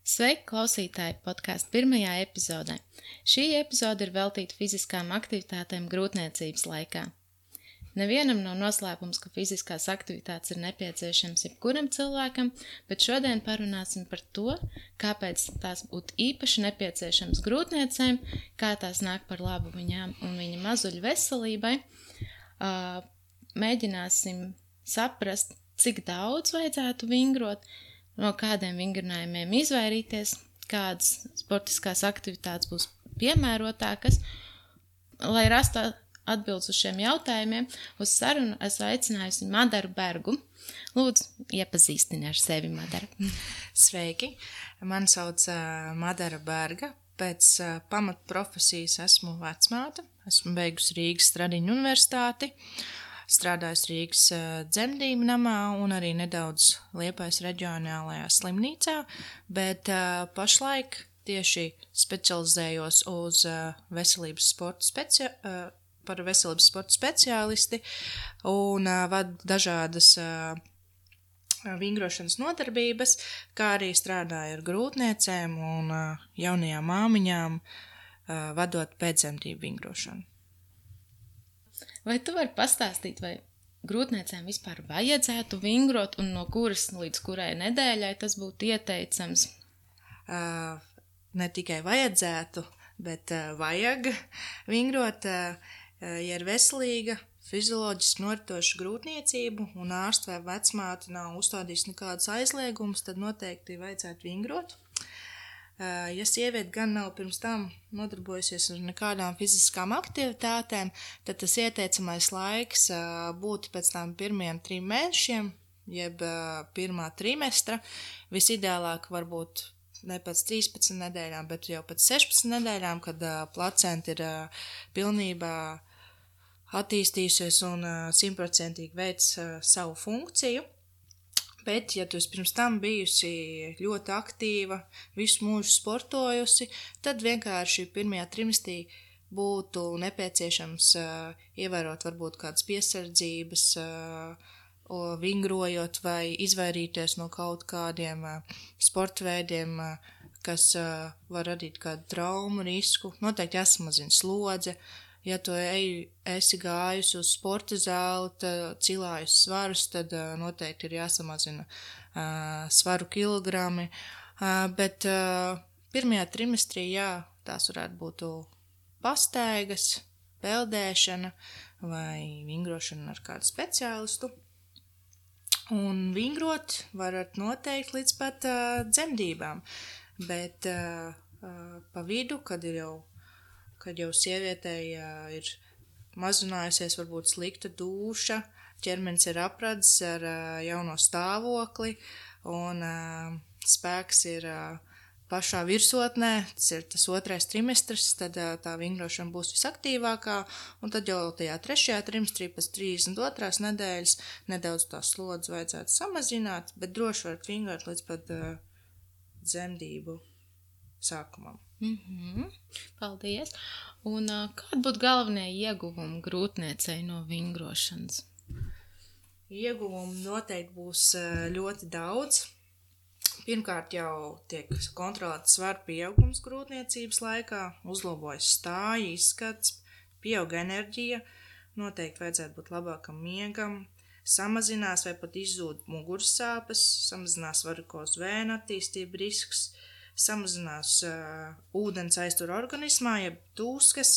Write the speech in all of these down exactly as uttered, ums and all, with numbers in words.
Sveiki, klausītāji, podkāstu pirmajā epizodē. Šī epizode ir veltīta fiziskām aktivitātēm grūtniecības laikā. Nevienam nav noslēpums, ka fiziskās aktivitātes ir nepieciešams jebkuram cilvēkam, bet šodien parunāsim par to, kāpēc tās būtu īpaši nepieciešams grūtniecēm, kā tās nāk par labu viņām un viņa mazuļu veselībai. Mēģināsim saprast, cik daudz vajadzētu vingrot, no kādiem vingrinājumiem izvairīties, kādas sportiskās aktivitātes būs piemērotākas. Lai rastu atbildes uz šiem jautājumiem, uz sarunu esmu aicinājusi Madaru Bergu. Lūdzu, iepazīstini ar sevi, Madara. Sveiki, mani sauc uh, Madara Berga. Pēc uh, pamatprofesijas esmu vecmāte. Esmu beigusi Rīgas Stradiņu universitāti. Strādājusi Rīgas uh, dzemdību namā un arī nedaudz Liepājas reģionālajā slimnīcā, bet uh, pašlaik tieši specializējos uz uh, veselības sporta speci uh, par veselības sporta speciālisti un uh, vadu dažādas uh, vingrošanas nodarbības, kā arī strādāju ar grūtniecēm un uh, jaunajām māmiņām, uh, vadot pēcdzemdību vingrošanu. Vai tu vari pastāstīt, vai grūtniecēm vispār vajadzētu vingrot un no kuras līdz kurai nedēļai tas būtu ieteicams? Uh, ne tikai vajadzētu, bet uh, vajag vingrot. Uh, ja ir veselīga, fizioloģiski noritoša grūtniecību un ārsts vai vecmāte nav uzstādījis nekādas aizliegumus, tad noteikti vajadzētu vingrot. Uh, ja sieviete gan nav pirms tam nodarbojusies ar nekādām fiziskām aktivitātēm, tad tas ieteicamais laiks uh, būtu pēc tam pirmiem trim mēnešiem, jeb uh, pirmā trimestra. Visideālāk varbūt ne pēc trīspadsmit nedēļām, bet jau pēc sešpadsmit nedēļām, kad uh, placenta ir uh, pilnībā attīstījusies un simtprocentīgi veic uh, savu funkciju. Bet, ja tu pirms tam bijusi ļoti aktīva, visu mūžu sportojusi, tad vienkārši pirmajā trimestrī būtu nepieciešams uh, ievērot varbūt kādas piesardzības, uh, vingrojot vai izvairīties no kaut kādiem uh, sporta veidiem, uh, kas uh, var radīt kādu traumu risku. Noteikti jāsamazina slodze. Ja tu ej, esi gājusi uz sporta zāli, tad cilājus svarus, tad uh, noteikti ir jāsamazina uh, svaru kilogrami. Uh, bet uh, pirmajā trimestrī, jā, tās varētu būt pastaigas, peldēšana vai vingrošana ar kādu speciālistu. Un vingrot varat noteikti līdz pat uh, dzemdībām, bet uh, uh, pa vidu, kad ir jau kad jau sievietei uh, ir mazinājusies varbūt slikta dūša, ķermenis ir apradzis ar uh, jauno stāvokli un uh, spēks ir uh, pašā virsotnē, tas ir tas otrais trimestrs, tad uh, tā vingrošana būs visaktīvākā, un tad jau tajā trešajā trimestrī pēc trīsdesmit otrās nedēļas nedaudz tās slodzes vajadzētu samazināt, bet droši varat vingrot līdz pat uh, dzemdību sākumam. Mm-hmm. Paldies. Un uh, kādi būtu galvenie ieguvumi grūtniecei no vingrošanas? Ieguvumi noteikti būs uh, ļoti daudz. Pirmkārt jau tiek kontrolēts svaru pieaugums grūtniecības laikā, uzlabojas stāja, izskats, pieauga enerģija, noteikti vajadzētu būt labākam miegam, samazinās vai pat izzūd muguras sāpes, samazinās varikozu vēnu attīstību risks, samazinās uh, ūdens aiztur organismā, jeb tūskas,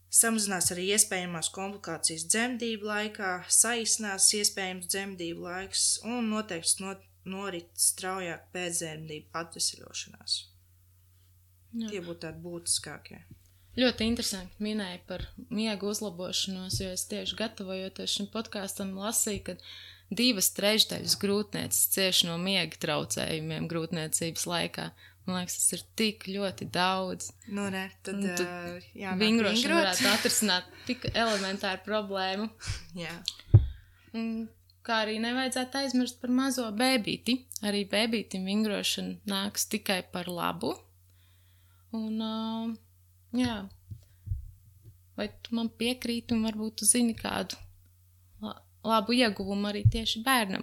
samazinās arī iespējamās komplikācijas dzemdību laikā, saīsinās iespējams dzemdību laiks un noteikti not, norit straujāk pēcdzemdību atveseļošanās. Jā. Tie būtu tādi būtiskākie. Ļoti interesanti minēja par miegu uzlabošanos, jo es tieši gatavojoties šim podkāstam lasīju, ka divas trešdaļas grūtnieces cieši no miega traucējumiem grūtniecības laikā. Man liekas, tas ir tik ļoti daudz. Nu, ne, tad uh, jānāk vingrošana vingrot. Varētu atrisināt tik elementāru problēmu. Jā. Un kā arī nevajadzētu aizmirst par mazo bēbīti. Arī bēbītim vingrošana nāks tikai par labu. Un, uh, jā, vai tu man piekrīti un varbūt tu zini kādu labu ieguvumu arī tieši bērnam?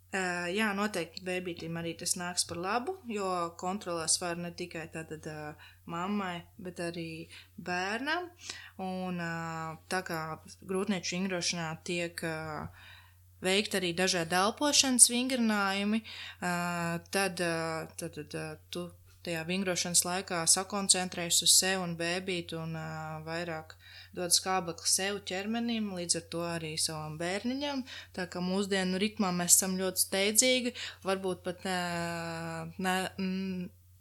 Uh, jā, noteikti bēbītim arī tas nāks par labu, jo kontrolē svaru ne tikai tātad uh, mammai, bet arī bērnam. Un uh, tā kā grūtnieču vingrošanā tiek uh, veikt arī dažādi elpošanas vingrinājumi, uh, tad, uh, tad, tad uh, tu tajā vingrošanas laikā sakoncentrējies uz sevi un bēbīti un uh, vairāk dod skābekli sev ķermenim, līdz ar to arī savam bērniņam. Tā kā mūsdienu ritmā mēs esam ļoti steidzīgi, varbūt pat uh, ne,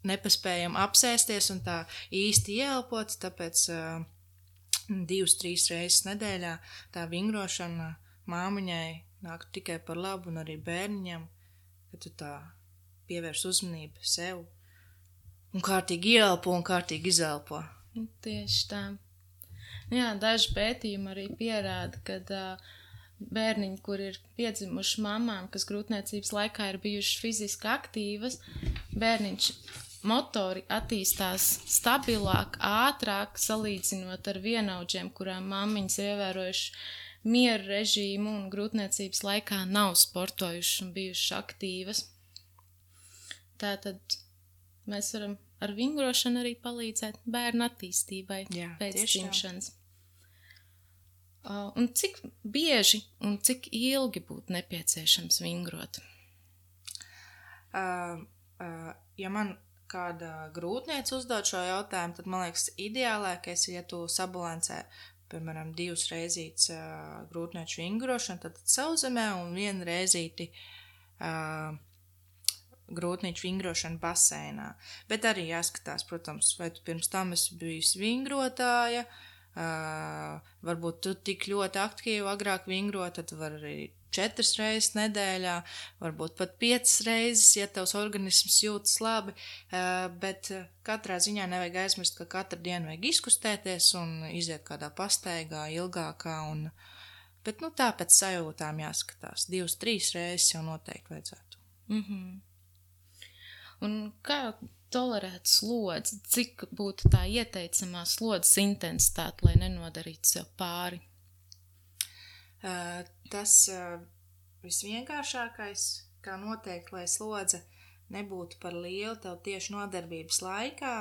nepaspējam apsēsties un tā īsti ieelpot, tāpēc uh, divas, trīs reizes nedēļā tā vingrošana māmiņai nāk tikai par labu un arī bērniņam, ka tu tā pievērs uzmanību sev un kārtīgi ieelpo un kārtīgi izelpo. Tieši tā. Jā, daži pētījumi arī pierāda, ka uh, bērniņi, kur ir piedzimuši mamām, kas grūtniecības laikā ir bijušas fiziski aktīvas, bērniņš motori attīstās stabilāk, ātrāk, salīdzinot ar vienaudžiem, kurām mammiņas ir ievērojuši mieru režīmu un grūtniecības laikā nav sportojušas un bijušas aktīvas. Tātad mēs varam ar vingrošanu arī palīdzēt bērnu attīstībai. Jā, pēc tieši tā. dzimšanas. Uh, un cik bieži un cik ilgi būtu nepieciešams vingrot? Uh, uh, ja man kāda grūtniece uzdod šo jautājumu, tad man liekas ideālākais, ja tu sabalansē, piemēram, divas reizītes uh, grūtnieču vingrošanu, tad sauszemē un vienu reizīti uh, grūtnieču vingrošanu baseinā. Bet arī jāskatās, protams, vai tu pirms tam esi bijusi vingrotāja, uh, varbūt tu tik ļoti aktīvi agrāk vingrot, tad var arī četras reizes nedēļā, varbūt pat piecas reizes, ja tavs organisms jūtas labi, uh, bet katrā ziņā nevajag aizmirst, ka katru dienu vajag izkustēties un iziet kādā pastaigā ilgākā, un, bet nu tā pēc sajūtām jāskatās. Divas, trīs reizes jau noteikti vajadzētu. Mhm. Un kā tolerēt slodzi? Cik būtu tā ieteicamā slodzes intensitāte, lai nenodarītu sev pāri? Uh, tas uh, visvienkāršākais, kā noteikti, lai slodze nebūtu par lielu tev tieši nodarbības laikā,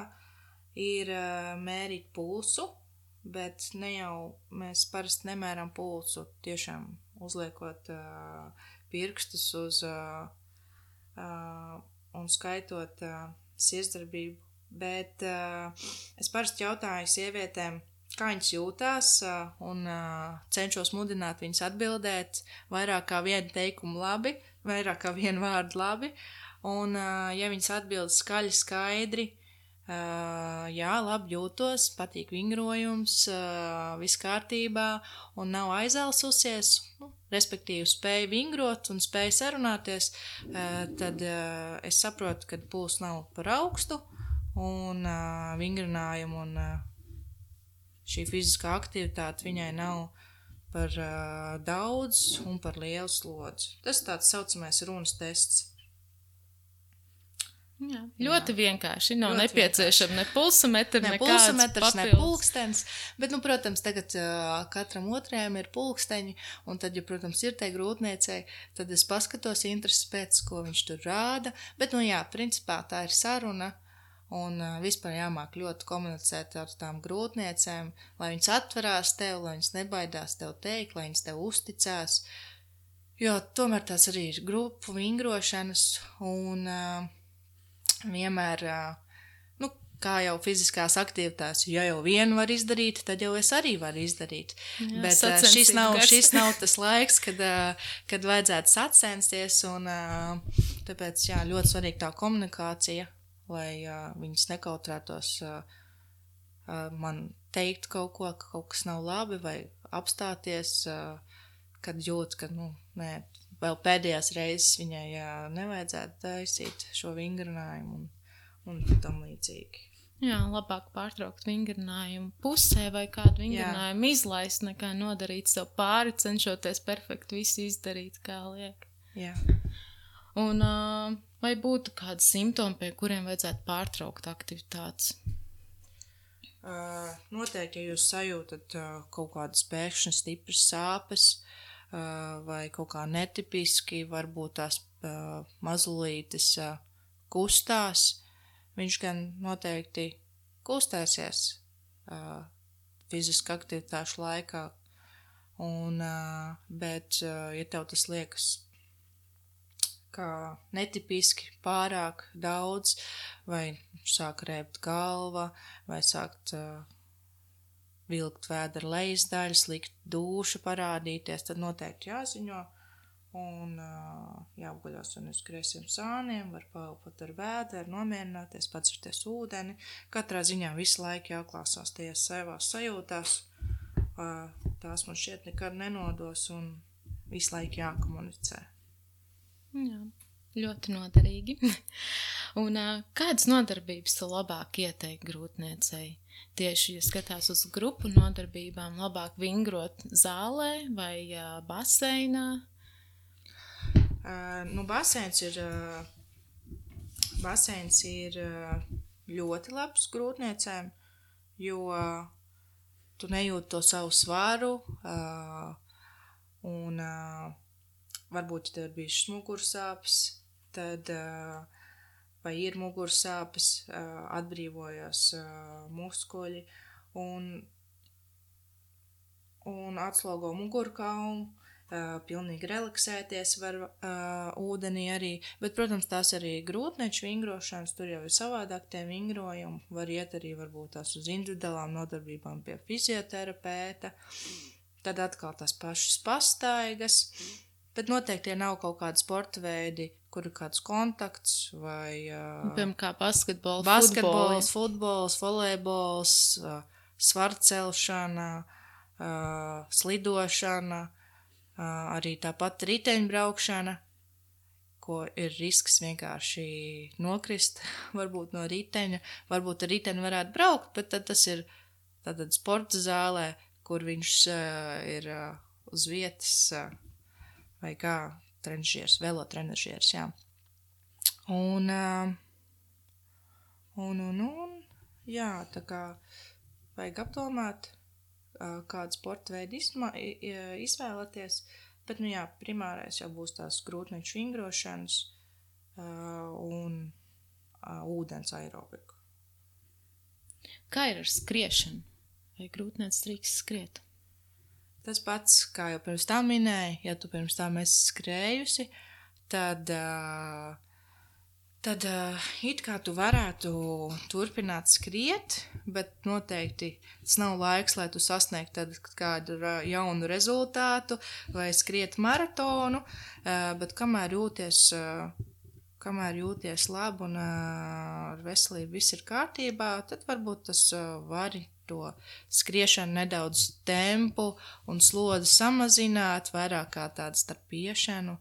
ir uh, mērīt pulsu, bet ne jau mēs parasti nemēram pulsu, tiešām uzliekot uh, pirkstus uz uh, uh, un skaitot uh, sirdsdarbību, bet uh, es parasti jautāju sievietēm, kā viņas jūtās, uh, un uh, cenšos mudināt viņas atbildēt vairāk kā vienu teikumu labi, vairāk kā vienu vārdu labi, un uh, ja viņas atbild skaļi, skaidri, uh, jā, labi jūtos, patīk vingrojums, uh, viss kārtībā un nav aizelsusies, nu, respektīvi spēja vingrot un spēja sarunāties, tad es saprotu, ka puls nav par augstu un vingrinājumu un šī fiziskā aktivitāte viņai nav par daudz un par lielu slodzi. Tas tāds saucamais runas tests. Jā, ļoti Jā. vienkārši. Nav ļoti nepieciešama ne pulsometri, ne nekāds pulsometrs, ne papildus. pulkstens, bet, nu, protams, tagad uh, katram otrajam ir pulksteņi, un tad, ja, protams, ir tai grūtniecei, tad es paskatos intereses pēc, ko viņš tur rāda, bet, nu, jā, principā tā ir saruna, un uh, vispār jāmāk ļoti komunicēt ar tām grūtniecēm, lai viņas atverās tev, lai viņas nebaidās tev teikt, lai viņas tev uzticās, jo tomēr tās arī ir grupu vingrošanas, un uh, vienmēr, nu, kā jau fiziskās aktivitātes, ja jau vienu var izdarīt, tad jau es arī varu izdarīt. Jā, bet šis nav, šis nav tas laiks, kad, kad vajadzētu sacensties, un tāpēc, jā, ļoti svarīga tā komunikācija, lai viņas nekautrētos man teikt kaut ko, ka kaut kas nav labi, vai apstāties, kad jūt, ka, nu, nē, vēl pēdējās reizes viņai jā, nevajadzētu taisīt šo vingrinājumu un, un tam līdzīgi. Jā, labāk pārtraukt vingrinājumu pusē vai kādu vingrinājumu jā. izlaist, nekā nodarīt sev pāri, cenšoties perfekti visu izdarīt, kā liek. Jā. Un uh, vai būtu kādi simptomi, pie kuriem vajadzētu pārtraukt aktivitātes? Uh, noteikti, ja jūs sajūtat uh, kaut kādas pēkšņas stipras sāpes, vai kaut kā netipiski, varbūt tās mazulītes kustās, viņš gan noteikti kustēsies fiziski aktivitāšu laikā, un, bet, ja tev tas liekas kā netipiski pārāk daudz, vai sāk rēbt galva, vai sākt uh, vilkt vēdera lejas daļas, likt dūša parādīties, tad noteikti jāziņo, un uh, jāapguļos un uz griesiem sāniem, var paelpot ar vēderu, nomierināties, padzerties ūdeni, katrā ziņā visu laiku jāklāsās tajās savās sajūtās, uh, tās man šķiet nekad nenodos, un visu laiku jākomunicē. Jā, ļoti noderīgi. Un kādas nodarbības tu labāk ieteikti grūtniecei? Tieši, ja skatās uz grupu nodarbībām, labāk vingrot zālē vai uh, baseinā? Uh, nu, baseins ir, uh, baseins ir uh, ļoti labs grūtniecēm, jo uh, tu nejūti to savu svaru, uh, un uh, varbūt, ja tev ir bijušas mugursāpes, tad, vai ir mugursāpes, atbrīvojās muskuļi un, un atslogo mugurkaulu, pilnīgi relaksēties var ūdenī arī, bet, protams, tās arī grūtnieču vingrošanas, tur jau ir savādāk tie vingrojumi, var iet arī varbūt tās uz individuālām nodarbībām pie fizioterapeita, tad atkal tās pašas pastaigas, bet noteikti tie nav kaut kādi sporta veidi, kur ir kāds kontakts vai... Uh, Piemēram, kā basketbols, basketbols, futbols, volejbols, uh, svarcelšana, uh, slidošana, uh, arī tāpat riteņbraukšana, ko ir risks vienkārši nokrist, varbūt no riteņa, varbūt ar riteni varētu braukt, bet tad tas ir tātad sporta zālē, kur viņš uh, ir uh, uz vietas... Uh, vai kā trenažieris, velotrenažieris, jā. Un, un, un, un, jā, tā kā vajag apdomāt, kādu sporta veidu izvēlēties, bet, nu jā, primārais jau būs tās grūtnieču vingrošanas un ūdens aerobiku. Kā ir ar skriešanu? Vai grūtniec drīkst skriet? Tas pats, kā jau pirms tā minēja, ja tu pirms tā esi skrējusi, tad, uh, tad uh, it kā tu varētu turpināt skriet, bet noteikti tas nav laiks, lai tu sasniegtu kādu jaunu rezultātu vai skriet maratonu, uh, bet kamēr jūties, uh, kamēr jūties labi un uh, ar veselību viss ir kārtībā, tad varbūt tas uh, vari to skriešanu nedaudz tempu un slodzi samazināt, vairāk kā tādu starp iešanu,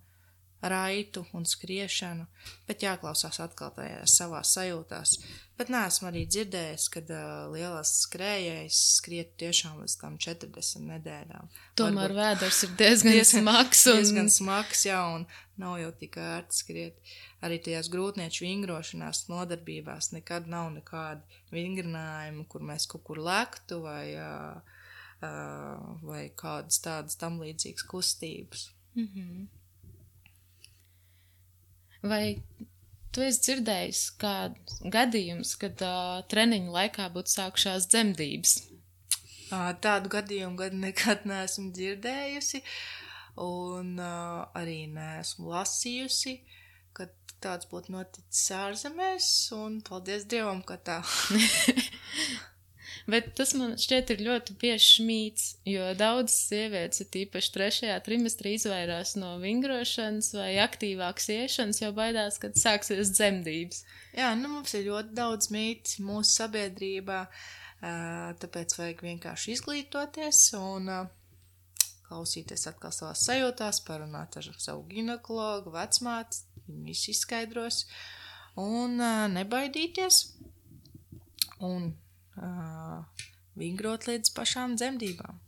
raitu un skriešanu, bet jāklausās atkal tajās savās sajūtās. Bet neesmu arī dzirdējis, kad uh, lielās skrējējas skriet tiešām līdz tam četrdesmit nedēļām. Tomēr Varbūt, vēders ir diezgan, diezgan smags. Un... Diezgan smags, jā, un nav jau tik ērti skriet. Arī tajās grūtnieču vingrošanās nodarbībās nekad nav nekādi vingrinājumi, kur mēs kaut kur lektu vai, uh, uh, vai kādas tādas tam līdzīgas kustības. Mm-hmm. Vai tu esi dzirdējis kāds gadījums, kad uh, treniņu laikā būtu sākušās dzemdības? Uh, tādu gadījumu gadu nekad neesmu dzirdējusi un uh, arī neesmu lasījusi, kad tāds būtu noticis ārzemēs, un paldies Dievam, ka tā. Bet tas man šķiet ir ļoti bieži mīts, jo daudzas sievietes, ir tīpaši trešajā trimestrī, izvairās no vingrošanas vai aktīvākas iešanas, jo baidās, kad sāksies dzemdības. Jā, nu mums ir ļoti daudz mīti mūsu sabiedrībā, tāpēc vajag vienkārši izglītoties un klausīties atkal savās sajūtās, parunāt ar savu ginekologu, vecmāti, viņi visi izskaidros un nebaidīties un Uh, vingrot līdz pašām dzemdībām.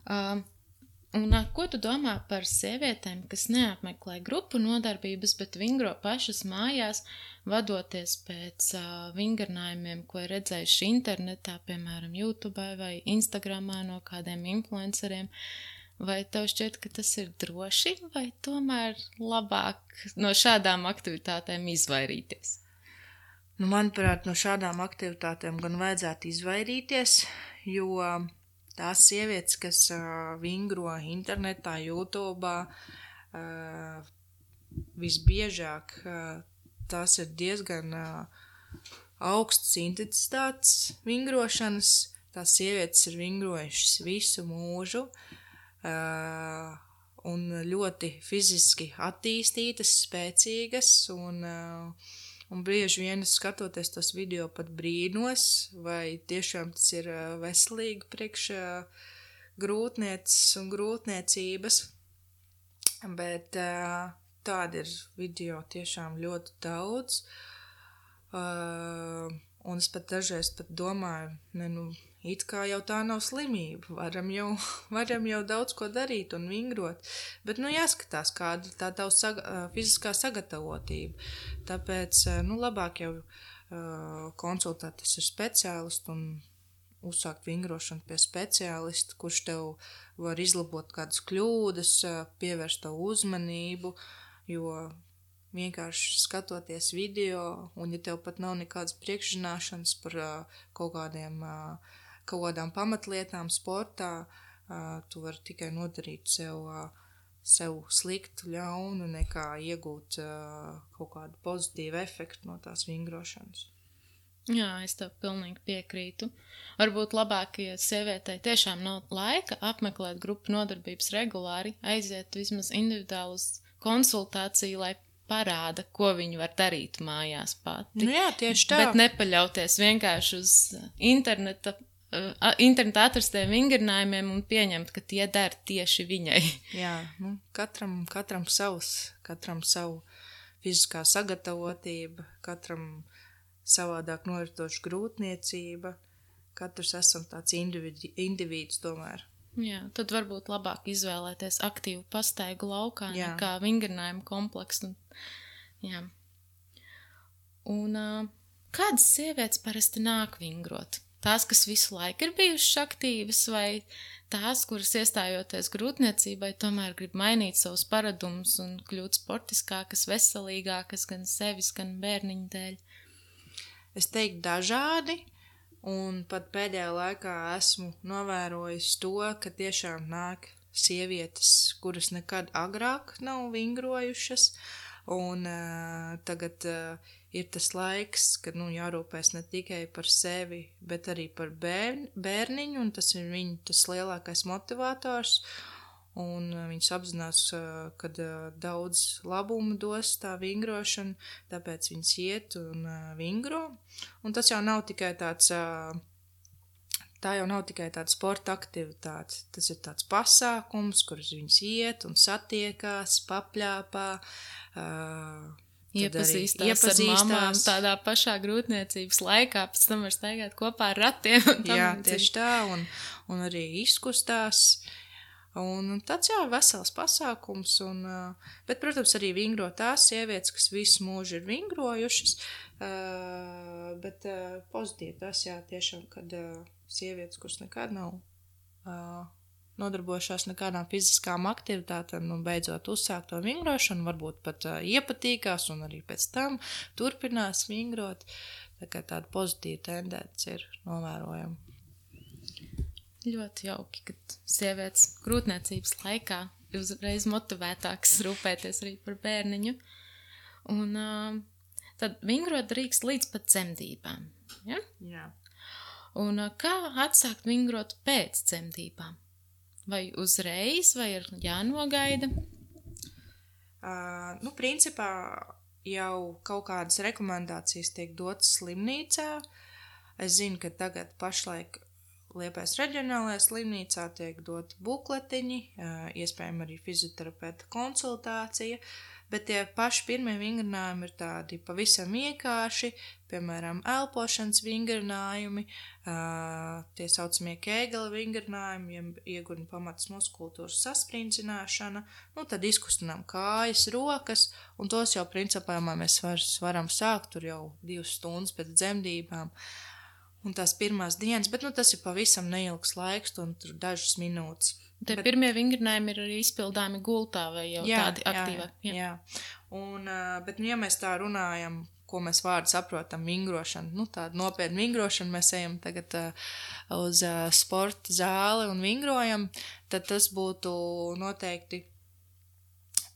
Uh, un uh, ko tu domā par sievietēm, kas neapmeklē grupu nodarbības, bet vingro pašas mājās, vadoties pēc uh, vingrinājumiem, ko ir redzējuši internetā, piemēram, YouTube vai Instagramā no kādiem influenceriem? Vai tev šķiet, ka tas ir droši, vai tomēr labāk no šādām aktivitātēm izvairīties? Nu, manuprāt, no šādām aktivitātēm gan vajadzētu izvairīties, jo tās sievietes, kas uh, vingro internetā, YouTube, uh, visbiežāk uh, tās ir diezgan uh, augstas intensitātes vingrošanas. Tās sievietes ir vingrojušas visu mūžu. Uh, un ļoti fiziski attīstītas, spēcīgas, un, uh, un bieži vien skatoties tos video pat brīnos, vai tiešām tas ir uh, veselīgi priekš uh, grūtnieces un grūtniecības, bet uh, tādi ir video tiešām ļoti daudz, uh, un es pat dažreiz pat domāju, ne, nu, it kā jau tā nav slimība, varam jau, varam jau daudz ko darīt un vingrot, bet, nu, jāskatās, kāda tā tava saga, fiziskā sagatavotība. Tāpēc, nu, labāk jau uh, konsultēties ar speciālistu un uzsākt vingrošanu pie speciālista, kurš tev var izlabot kādas kļūdas, pievērst tavu uzmanību, jo vienkārši skatoties video, un ja tev pat nav nekādas priekšzināšanas par uh, kaut kādiem uh, kaut kādām pamatlietām sportā, uh, tu vari tikai nodarīt sev, uh, sev sliktu, ļaunu, nekā iegūt uh, kaut kādu pozitīvu efektu no tās vingrošanas. Jā, es tev pilnīgi piekrītu. Varbūt labāk, ja sievietei tiešām nav laika apmeklēt grupu nodarbības regulāri, aiziet vismaz individuāli uz konsultāciju, lai parāda, ko viņi var darīt mājās pati. Nu jā, tieši tā. Bet nepaļauties vienkārši uz interneta, uh, interneta atrastiem vingrinājumiem un pieņemt, ka tie der tieši viņai. Jā, nu, katram, katram savs, katram savu fiziskā sagatavotība, katram savādāk noritoša grūtniecība, katrs esam tāds individi, individs tomēr. Jā, tad varbūt labāk izvēlēties aktīvu pastaigu laukā, jā, nekā vingrinājumu kompleksu. Jā. Un uh, kādas sievietes parasti nāk vingrot? Tās, kas visu laiku ir bijušas aktīvas, vai tās, kuras iestājoties grūtniecībai, tomēr grib mainīt savus paradumus un kļūt sportiskākas, veselīgākas gan sevis, gan bērniņu dēļ? Es teiktu dažādi. Un pat pēdējā laikā esmu novērojis to, ka tiešām nāk sievietes, kuras nekad agrāk nav vingrojušas, un uh, tagad uh, ir tas laiks, kad, nu, jārūpēs ne tikai par sevi, bet arī par bērni, bērniņu, un tas ir viņu tas lielākais motivators, un uh, viņas apzinās, uh, kad uh, daudz labumu dos tā vingrošana, tāpēc viņas iet un uh, vingro. Un tas jau nav tikai tāds, uh, tā jau nav tikai tāda sporta aktivitāte, tas ir tāds pasākums, kurus viņas iet un satiekās, papļāpā, uh, Iepazīstās, iepazīstās ar mamām tādā pašā grūtniecības laikā, pēc tam var staigāt kopā ar ratiem. Un tam jā, tieši tā, un, un arī izkustās. Un tāds, jā, vesels pasākums, un, bet, protams, arī vingro tās sievietes, kas visu mūžu ir vingrojušas, bet pozitīvi tas, jā, tiešām, kad sievietes, kuras nekad nav nodarbojušās nekādām fiziskām aktivitātēm, nu, beidzot uzsākt to vingrošanu, varbūt pat iepatīkās un arī pēc tam turpinās vingrot, tā kā tāda pozitīva tendence ir novērojama. Ļoti jauki, ka sievietes grūtniecības laikā ir uzreiz motivētākas rūpēties arī par bērniņu. Un uh, tad vingrot drīkst līdz pat dzemdībām. Ja? Jā. Un uh, kā atsākt vingrot pēc dzemdībām? Vai uzreiz, vai ir jānogaida? Uh, nu, principā jau kaut kādas rekomendācijas tiek dotas slimnīcā. Es zinu, ka tagad pašlaik Liepājas reģionālajā slimnīcā tiek doti bukletiņi, iespējams arī fizioterapeita konsultācija, bet tie paši pirmie vingrinājumi ir tādi pavisam vienkārši, piemēram, elpošanas vingrinājumi, tie saucamie Kēgela vingrinājumi, iegurņu pamatas muskultūras sasprindzināšana, nu tad izkustinām kājas, rokas, un tos jau principā mēs var, varam sākt tur jau divas stundas pēc dzemdībām. Un tās pirmās dienas, bet nu, tas ir pavisam neilgs laiks, un tur dažas minūtes. Tie Bet, pirmie vingrinājumi ir arī izpildāmi gultā vai jau jā, tādi aktīvāki? Jā, jā. jā. Un, bet, nu, ja mēs tā runājam, ko mēs vārdu saprotam, vingrošana, nu, tāda nopietna vingrošana, mēs ejam tagad uh, uz uh, sporta zāli un vingrojam, tad tas būtu noteikti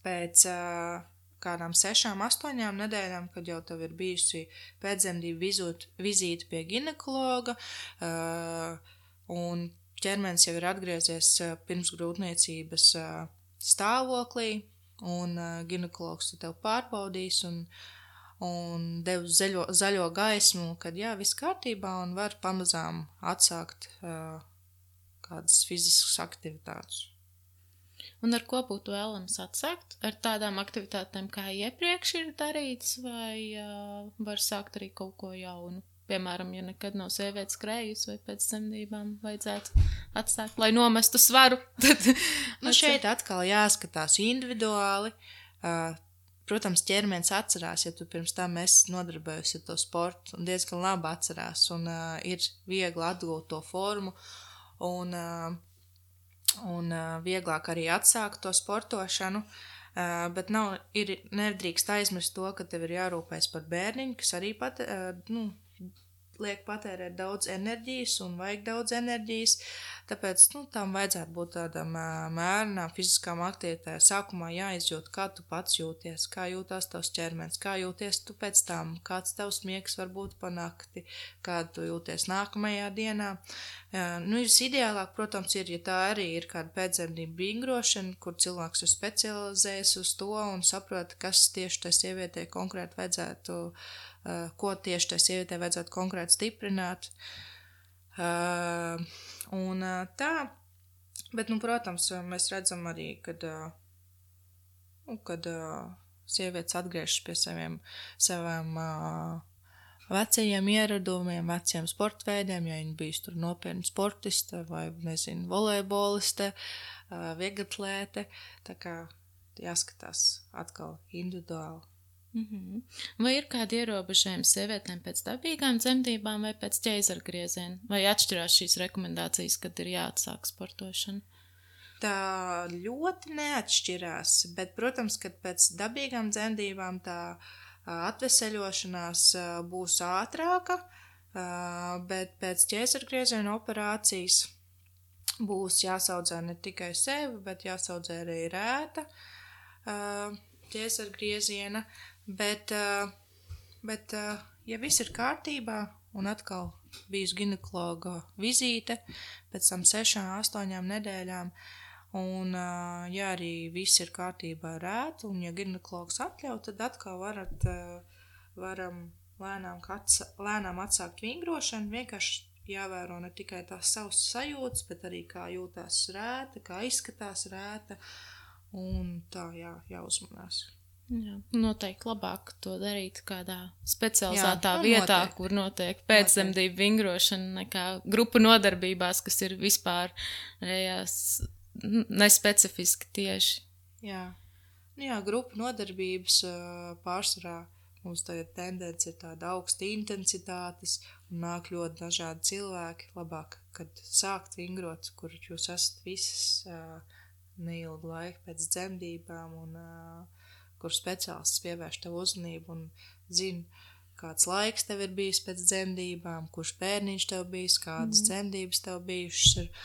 pēc uh, kādām sešām, astoņām nedēļām, kad jau tev ir bijusi pēcdzemdību vizīte pie ginekologa, uh, un ķermenis jau ir atgriezies uh, pirms grūtniecības uh, stāvoklī, un uh, ginekologs tev pārbaudīs un, un devis zaļo, zaļo gaismu, kad jā, viss kārtībā un var pamazām atsākt uh, kādas fiziskas aktivitātes. Un ar ko būtu vēlams atsākt? Ar tādām aktivitātēm, kā iepriekš ir darīts, vai uh, var sākt arī kaut ko jaunu? Piemēram, ja nekad nav sievietes skrējusi vai pēc dzemdībām vajadzētu atsākt, lai nomestu svaru. Tad nu, šeit atkal jāskatās individuāli. Uh, protams, ķermenis atcerās, ja tu pirms tam esi nodarbojies ar to sportu, un diezgan labi atcerās, un uh, ir viegli atgūt to formu, un, uh, un uh, vieglāk arī atsākt to sportošanu. Uh, bet nav, ir, nedrīkst aizmirst to, ka tev ir jārūpēs par bērniņu, kas arī pat, uh, nu, liek patērēt daudz enerģijas un vajag daudz enerģijas, tāpēc, nu, tam vajadzētu būt tādam mērnām fiziskām aktivitātēm. Sākumā jāizjūt, kā tu pats jūties, kā jūtās tavs ķermenis, kā jūties tu pēc tam, kāds tavs miegs var būt pa nakti, kā tu jūties nākamajā dienā. Nu, visideālāk, protams, ir, ja tā arī ir kāda pēcdzemdību vingrošana, kur cilvēks ir specializējies uz to un saprot, kas tieši tai sievietei konkrēti vajadzētu Uh, ko tieši tai sievietei vajadzētu konkrēti stiprināt. Uh, un uh, tā, bet, nu, protams, mēs redzam arī, kad, uh, nu, kad uh, sievietes atgriežas pie saviem, saviem uh, vecajiem ieradumiem, veciem sportveidiem, ja viņi bijis tur nopietni sportiste vai, nezinu, volejboliste, uh, vieglatlēte, tā kā jāskatās atkal individuāli. Mm-hmm. Vai ir kādi ierobežojumi sievietēm pēc dabīgām dzemdībām vai pēc ķeizargrieziena? Vai atšķirās šīs rekomendācijas, kad ir jāatsāk sportošana? Tā ļoti neatšķirās, bet, protams, kad pēc dabīgām dzemdībām tā atveseļošanās būs ātrāka, bet pēc ķeizargrieziena operācijas būs jāsaudzē ne tikai sevi, bet jāsaudzē arī rēta ķeizargrieziena. Bet, bet, ja viss ir kārtībā un atkal bijusi ginekologa vizīte pēc tam sešām, astoņām nedēļām, un, ja arī viss ir kārtībā ar rētu, un ja ginekologs atļauj, tad atkal varat, varam lēnām, atsa, lēnām atsākt vingrošanu, vienkārši jāvēro ne tikai tās savas sajūtas, bet arī kā jūtās rēta, kā izskatās rēta, un tā jā, jāuzmanās. Jā, noteikti labāk to darīt kādā specializētā Jā, vietā, noteikti. kur notiek pēcdzemdību vingrošana, nekā grupu nodarbībās, kas ir vispār rējās nespecifiski tieši. Jā, nu jā, grupu nodarbības pārsvarā mums tagad tendence ir tāda augsta intensitātes un nāk ļoti dažādi cilvēki. Labāk, kad sākt vingrot, kur jūs esat visas neilgu laiku pēc dzemdībām un kur speciālists pievērš tev uzmanību un zina, kāds laiks tev ir bijis pēc dzemdībām, kurš bērniņš tev bijis, kādas mm. dzemdības tev bijušas ir.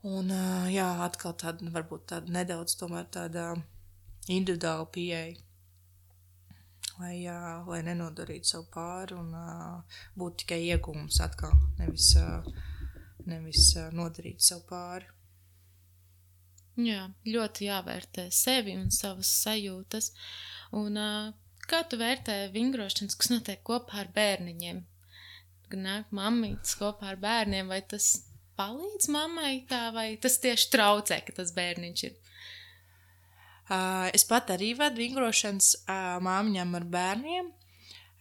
Un, jā, atkal tāda, varbūt tāda nedaudz tomēr tāda individuāla pieeja, lai, jā, lai nenodarītu savu pāri un būtu tikai iegūms atkal, nevis, nevis nodarīt savu pāri. Jā, ļoti jāvērtē sevi un savas sajūtas. Un uh, kā tu vērtē vingrošanas, kas notiek kopā ar bērniņiem? Kad nāk mammītes kopā ar bērniem, vai tas palīdz mammai tā, vai tas tieši traucē, ka tas bērniņš ir? Uh, es pat arī vedu vingrošanas uh, māmiņām ar bērniem.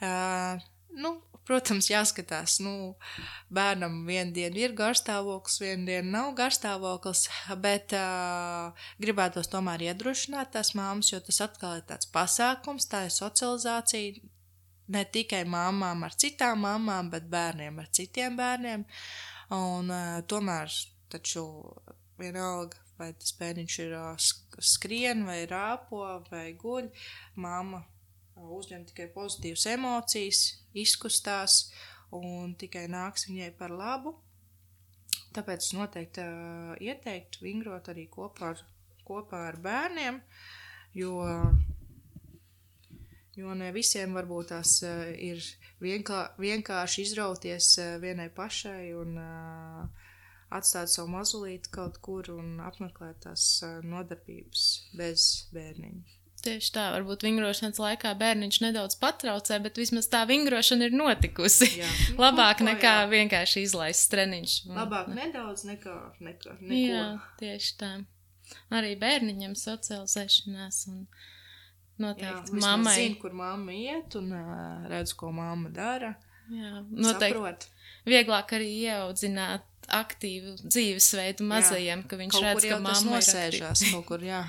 Uh, nu, Protams, jāskatās, nu, bērnam vienu dienu ir garstāvoklis, vienu dienu nav garstāvoklis, bet uh, gribētos tomēr iedrošināt tās māmas, jo tas atkal ir tāds pasākums, tā ir socializācija ne tikai māmām ar citām māmām, bet bērniem ar citiem bērniem, un uh, tomēr taču vienalga, vai tas bērniņš ir skrien, vai rāpo, vai guļ, mamma uzņem tikai pozitīvas emocijas, izkustās un tikai nāks viņai par labu. Tāpēc es noteikti uh, ieteiktu vingrot arī kopā ar, kopā ar bērniem, jo, jo ne visiem varbūt tās uh, ir vienkā, vienkārši izrauties uh, vienai pašai un uh, atstāt savu mazulīti kaut kur un apmeklēt tās uh, nodarbības bez bērniņa. Tieši tā, varbūt vingrošanas laikā bērniņš nedaudz patraucē, bet vismaz tā vingrošana ir notikusi. Jā. Labāk nu, nekā jā. vienkārši izlaists treniņš. Labāk ne. nedaudz nekā, nekā neko. Jā, tieši tā. Arī bērniņam socializēšanās un noteikti jā, mammai. Jā, zinu, kur mamma iet un uh, redz, ko mamma dara. Jā, noteikti. Saprot. Vieglāk arī ieaudzināt aktīvu dzīvesveidu mazajiem, jā. Ka viņš kaut redz, ka mamma ir nosēžās, kaut kur, jā.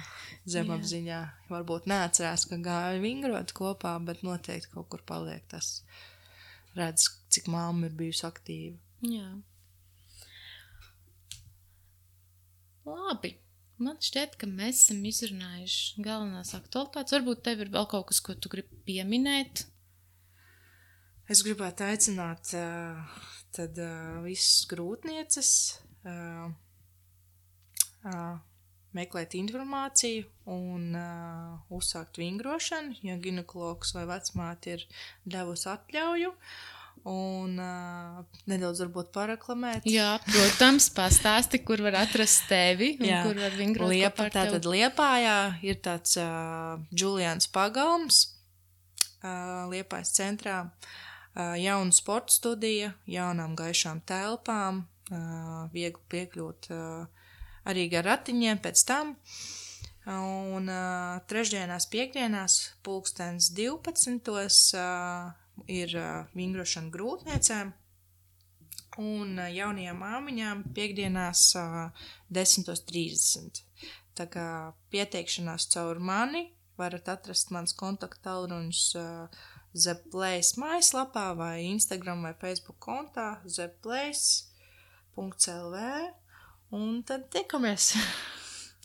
Zemapziņā. Varbūt neatcerās, ka gāja vingrot kopā, bet noteikti kaut kur paliek tas. Redz, cik mamma ir bijusi aktīva. Jā. Labi. Man šķiet, ka mēs esam izrunājuši galvenās aktualitātes. Varbūt tev ir vēl kaut kas, ko tu gribi pieminēt? Es gribētu aicināt uh, tad uh, visas grūtnieces uh, uh, meklēt informāciju un uh, uzsākt vingrošanu, ja ginekologs vai vecmāte ir devusi atļauju un uh, nedaudz varbūt pareklamēt. Jā, protams, pastāsti, kur var atrast tevi un Jā. Kur var vingrot Liepa, kopā ar tevi. Tātad Liepājā ir tāds uh, Julians Pagalms uh, Liepājas centrā, uh, jauna sporta studija, jaunām gaišām telpām, uh, viegli piekļūt uh, arī gar ratiņiem pēc tam, un uh, trešdienās, piekdienās, pulkstens divpadsmitos uh, ir uh, vingrošana grūtniecēm, un uh, jaunajām māmiņām piekdienās uh, desmit trīsdesmit. Tā kā pieteikšanās caur mani varat atrast mans kontaktālruņus uh, Zepplace mājaslapā vai Instagram vai Facebook kontā zepplace punkts el vē. Un tad tikamies.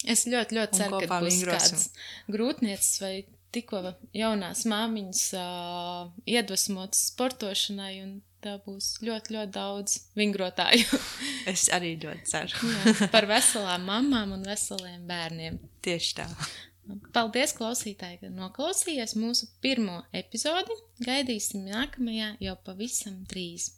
Es ļoti, ļoti ceru, ka būs kāds grūtniecis vai tikko jaunās māmiņas uh, iedvesmotas sportošanai, un tā būs ļoti, ļoti daudz vingrotāju. Es arī ļoti ceru. Jā, par veselām mamām un veseliem bērniem. Tieši tā. Paldies, klausītāji, ka noklausījies mūsu pirmo epizodi. Gaidīsim nākamajā jau pavisam drīz.